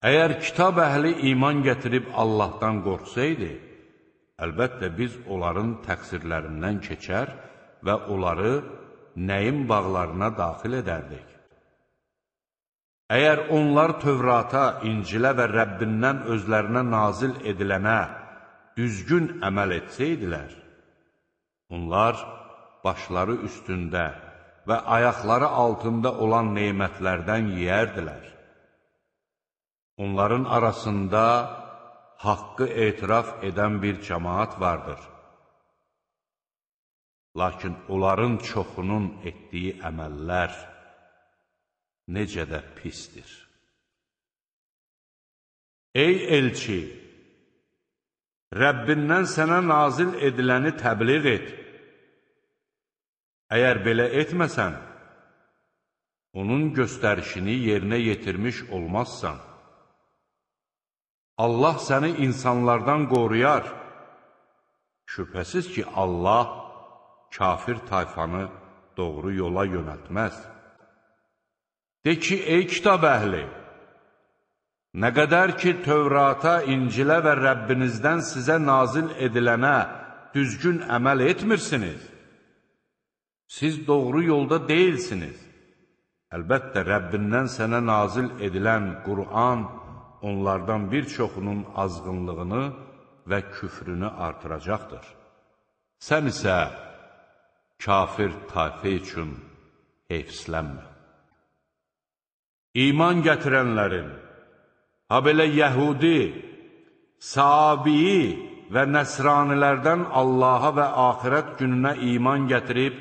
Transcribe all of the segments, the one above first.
Əgər kitab əhli iman gətirib Allahdan qorxsaydı, əlbəttə biz onların təqsirlərindən keçər və onları nəyin bağlarına daxil edərdik. Əgər onlar Tövrata, İncilə və Rəbbindən özlərinə nazil edilənə düzgün əməl etsəydilər, onlar başları üstündə və ayaqları altında olan neymətlərdən yeyərdilər. Onların arasında haqqı etiraf edən bir cəmaat vardır. Lakin onların çoxunun etdiyi əməllər necə də pisdir. Ey elçi! Rəbbindən sənə nazil ediləni təbliğ et. Əgər belə etməsən, onun göstərişini yerinə yetirmiş olmazsan. Allah səni insanlardan qoruyar. Şübhəsiz ki, Allah kafir tayfanı doğru yola yönəltməz. De ki, ey kitab əhli! Nə qədər ki, Tövrata, İncilə və Rəbbinizdən sizə nazil edilənə düzgün əməl etmirsiniz, siz doğru yolda deyilsiniz. Əlbəttə, Rəbbindən sənə nazil edilən Qur'an onlardan bir çoxunun azğınlığını və küfrünü artıracaqdır. Sən isə kafir tayfə üçün heyfslənmə. İman gətirənlərin, ha belə Yəhudi, Sabiyi və Nəsranilərdən Allaha və axirət gününə iman gətirib,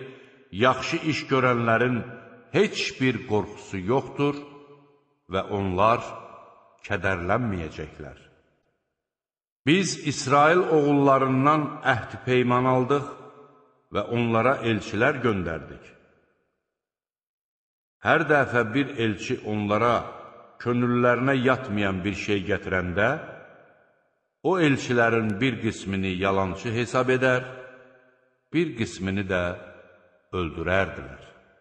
yaxşı iş görənlərin heç bir qorxusu yoxdur və onlar kədərlənməyəcəklər. Biz İsrail oğullarından əhd peyman aldıq və onlara elçilər göndərdik. Hər dəfə bir elçi onlara könüllərinə yatmayan bir şey gətirəndə, o elçilərin bir qismini yalançı hesab edər, bir qismini də öldürərdilər.